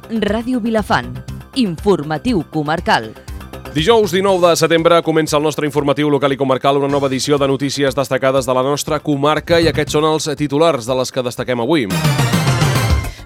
Ràdio Vilafant. Informatiu comarcal. Dijous 19 de setembre comença el nostre informatiu local i comarcal, una nova edició de notícies destacades de la nostra comarca, i aquests són els titulars de les que destaquem avui.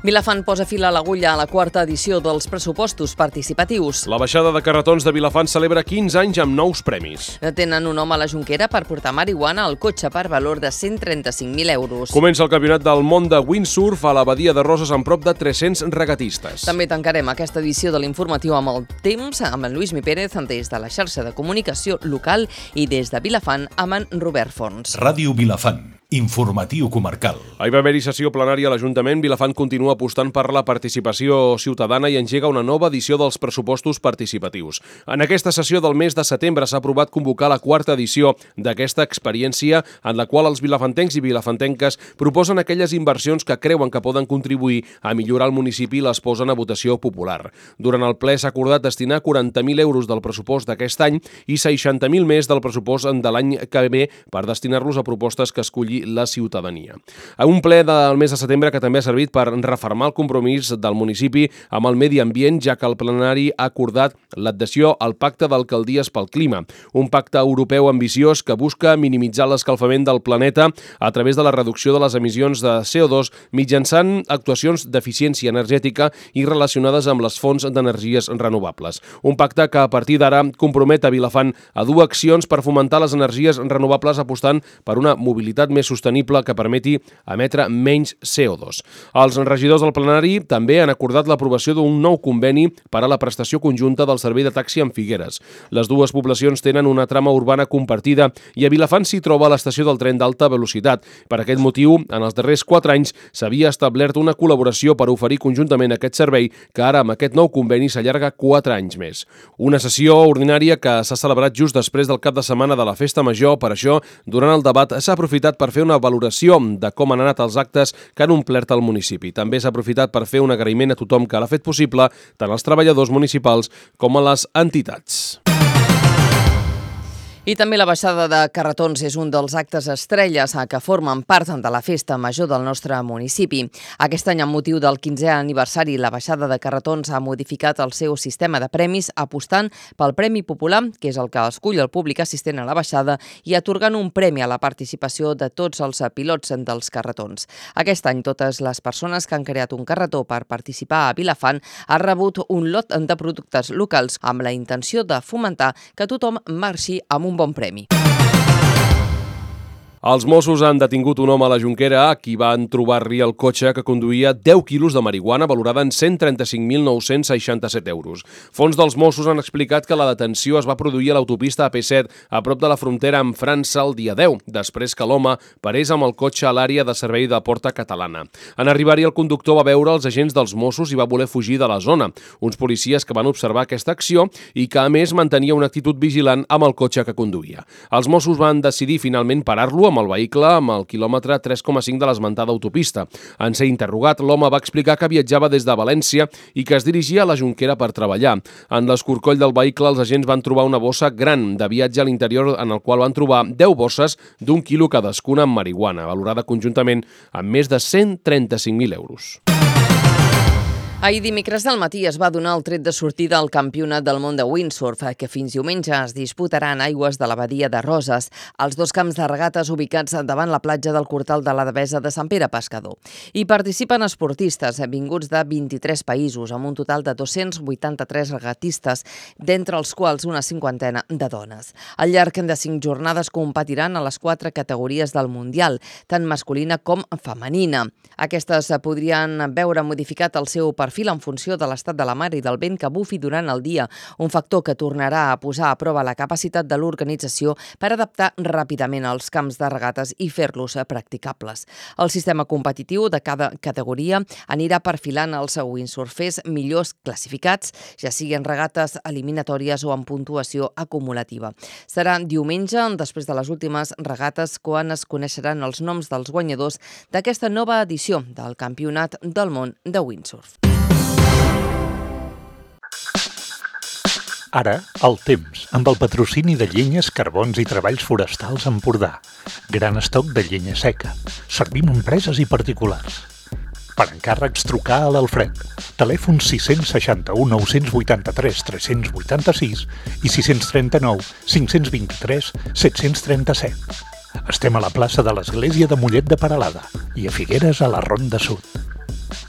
Vilafant posa fil a l'agulla a la quarta edició dels pressupostos participatius. La baixada de carretons de Vilafant celebra 15 anys amb nous premis. Tenen un home a la Jonquera per portar marihuana al cotxe per valor de 135.000 euros. Comença el campionat del món de windsurf a la Badia de Roses amb prop de 300 regatistes. També tancarem aquesta edició de l'informatiu amb el temps, amb en Lluís Mi Pérez, des de la xarxa de comunicació local, i des de Vilafant amb en Robert Fons. Ràdio Vilafant. Informatiu comarcal. Ahir va haver-hi sessió plenària a l'Ajuntament. Vilafant continua apostant per la participació ciutadana i engega una nova edició dels pressupostos participatius. En aquesta sessió del mes de setembre s'ha aprovat convocar la quarta edició d'aquesta experiència, en la qual els vilafantencs i vilafantenques proposen aquelles inversions que creuen que poden contribuir a millorar el municipi i les posen a votació popular. Durant el ple s'ha acordat destinar 40.000 euros del pressupost d'aquest any i 60.000 més del pressupost de l'any que ve per destinar-los a propostes que escolli la ciutadania. A un ple del mes de setembre que també ha servit per refermar el compromís del municipi amb el medi ambient, ja que el plenari ha acordat l'adhesió al Pacte d'Alcaldies pel Clima, un pacte europeu ambiciós que busca minimitzar l'escalfament del planeta a través de la reducció de les emissions de CO2 mitjançant actuacions d'eficiència energètica i relacionades amb les fonts d'energies renovables. Un pacte que a partir d'ara compromet a Vilafant a dur accions per fomentar les energies renovables apostant per una mobilitat més sostenible que permeti emetre menys CO2. Els regidors del plenari també han acordat l'aprovació d'un nou conveni per a la prestació conjunta del servei de taxi en Figueres. Les dues poblacions tenen una trama urbana compartida i a Vilafant s'hi troba l'estació del tren d'alta velocitat. Per aquest motiu, en els darrers 4 anys s'havia establert una col·laboració per oferir conjuntament aquest servei, que ara amb aquest nou conveni s'allarga 4 anys més. Una sessió ordinària que s'ha celebrat just després del cap de setmana de la Festa Major. Per això, durant el debat s'ha aprofitat per fer una valoració de com han anat els actes que han omplert el municipi. També s'ha aprofitat per fer un agraïment a tothom que l'ha fet possible, tant als treballadors municipals com a les entitats. I també la baixada de carretons és un dels actes estrelles que formen part de la festa major del nostre municipi. Aquest any, amb motiu del 15è aniversari, la baixada de carretons ha modificat el seu sistema de premis, apostant pel Premi Popular, que és el que escull el públic assistent a la baixada, i atorgant un premi a la participació de tots els pilots dels carretons. Aquest any, totes les persones que han creat un carretó per participar a Vilafant han rebut un lot de productes locals amb la intenció de fomentar que tothom marxi amb un bon premi. Els Mossos han detingut un home a la Jonquera a qui van trobar-li el cotxe que conduïa 10 quilos de marihuana valorada en 135.967 euros. Fons dels Mossos han explicat que la detenció es va produir a l'autopista AP7 a prop de la frontera amb França el dia 10, després que l'home parés amb el cotxe a l'àrea de servei de Porta Catalana. En arribar-hi, el conductor va veure els agents dels Mossos i va voler fugir de la zona. Uns policies que van observar aquesta acció i que, a més, mantenia una actitud vigilant amb el cotxe que conduïa. Els Mossos van decidir finalment parar-lo amb el vehicle amb el quilòmetre 3,5 de l'esmentada autopista. En ser interrogat, l'home va explicar que viatjava des de València i que es dirigia a la Jonquera per treballar. En l'escorcoll del vehicle, els agents van trobar una bossa gran de viatge a l'interior, en el qual van trobar 10 bosses d'1 quilo cadascuna amb marihuana, valorada conjuntament amb més de 135.000 euros. Ahir dimecres del matí es va donar el tret de sortida al Campionat del món de windsurf, que fins diumenge es disputarà en aigües de la Badia de Roses, als 2 camps de regates ubicats davant la platja del Cortal de la Devesa de Sant Pere Pescador. Hi participen esportistes vinguts de 23 països, amb un total de 283 regatistes, d'entre els quals una cinquantena de dones. Al llarg de 5 jornades competiran a les 4 categories del Mundial, tant masculina com femenina. Aquestes podrien veure modificat el seu perfil en funció de l'estat de la mar i del vent que bufi durant el dia, un factor que tornarà a posar a prova la capacitat de l'organització per adaptar ràpidament els camps de regates i fer-los practicables. El sistema competitiu de cada categoria anirà perfilant els windsurfers millors classificats, ja siguin regates eliminatòries o amb puntuació acumulativa. Serà diumenge, després de les últimes regates, quan es coneixeran els noms dels guanyadors d'aquesta nova edició del Campionat del món de windsurf. Ara, el temps, amb el patrocini de Llenyes, Carbons i Treballs Forestals Empordà. Gran estoc de llenya seca. Servim empreses i particulars. Per encàrrecs, trucar a l'Alfred. Telèfon 661 983 386 i 639 523 737. Estem a la plaça de l'Església de Mollet de Peralada i a Figueres a la Ronda Sud.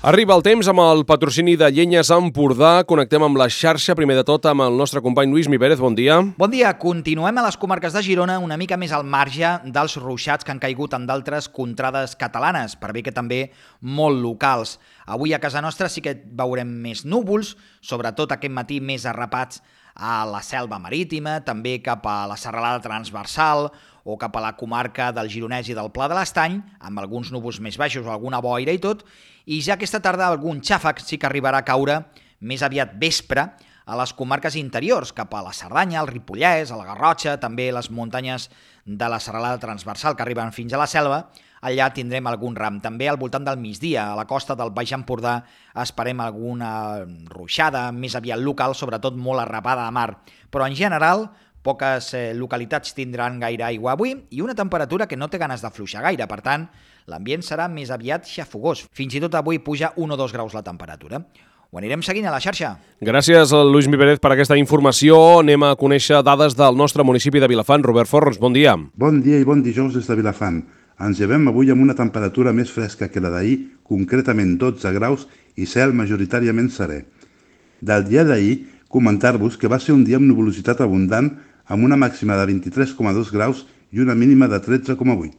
Arriba el temps amb el patrocini de Llenyes Empordà. Connectem amb la xarxa, primer de tot, amb el nostre company Lluís Mi Pérez. Bon dia. Bon dia. Continuem a les comarques de Girona una mica més al marge dels ruixats que han caigut en d'altres contrades catalanes, per bé que també molt locals. Avui a casa nostra sí que veurem més núvols, sobretot aquest matí més arrapats a la selva marítima, també cap a la serralada transversal o cap a la comarca del Gironès i del Pla de l'Estany, amb alguns núvols més baixos o alguna boira i tot, i ja aquesta tarda algun xàfec sí que arribarà a caure més aviat vespre a les comarques interiors, cap a la Cerdanya, el Ripollès, a la Garrotxa, també les muntanyes de la serralada transversal que arriben fins a la selva. Allà tindrem algun ram. També al voltant del migdia, a la costa del Baix Empordà, esperem alguna ruixada més aviat local, sobretot molt arrapada a mar. Però en general, poques localitats tindran gaire aigua avui i una temperatura que no té ganes d'afluixar gaire. Per tant, l'ambient serà més aviat xafogós. Fins i tot avui puja 1 o 2 graus la temperatura. Ho anirem seguint a la xarxa. Gràcies, Lluís Mi Pérez, per aquesta informació. Anem a conèixer dades del nostre municipi de Vilafant. Robert Forns, bon dia. Bon dia i bon dijous des de Vilafant. Ens llevem avui amb una temperatura més fresca que la d'ahir, concretament 12 graus i cel majoritàriament serè. Del dia d'ahir, comentar-vos que va ser un dia amb nuvolositat abundant, amb una màxima de 23,2 graus i una mínima de 13,8.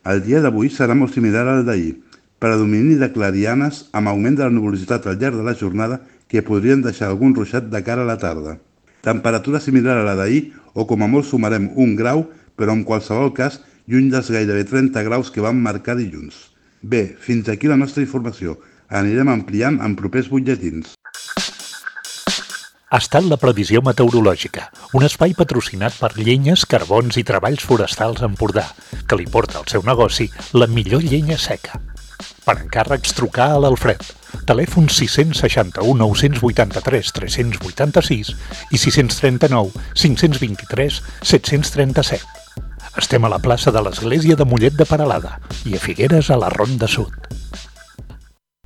El dia d'avui serà molt similar al d'ahir, predomini de clarianes amb augment de la nuvolositat al llarg de la jornada que podrien deixar algun ruixat de cara a la tarda. Temperatura similar a la d'ahir o com a molt sumarem 1 grau, però en qualsevol cas lluny dels gairebé 30 graus que vam marcar dilluns. Bé, fins aquí la nostra informació. Anirem ampliant en propers butlletins. Ha estat la previsió meteorològica, un espai patrocinat per Llenyes, Carbons i Treballs Forestals Empordà, que li porta al seu negoci la millor llenya seca. Per encàrrecs, trucar a l'Alfred. Telèfon 661 983 386 i 639 523 737. Estem a la plaça de l'Església de Mollet de Peralada i a Figueres a la Ronda Sud.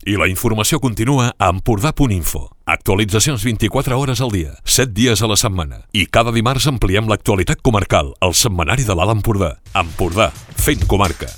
I la informació continua a Empordà.info. Actualitzacions 24 hores al dia, 7 dies a la setmana. I cada dimarts ampliem l'actualitat comarcal, al setmanari de l'Alt Empordà. Empordà, fent comarca.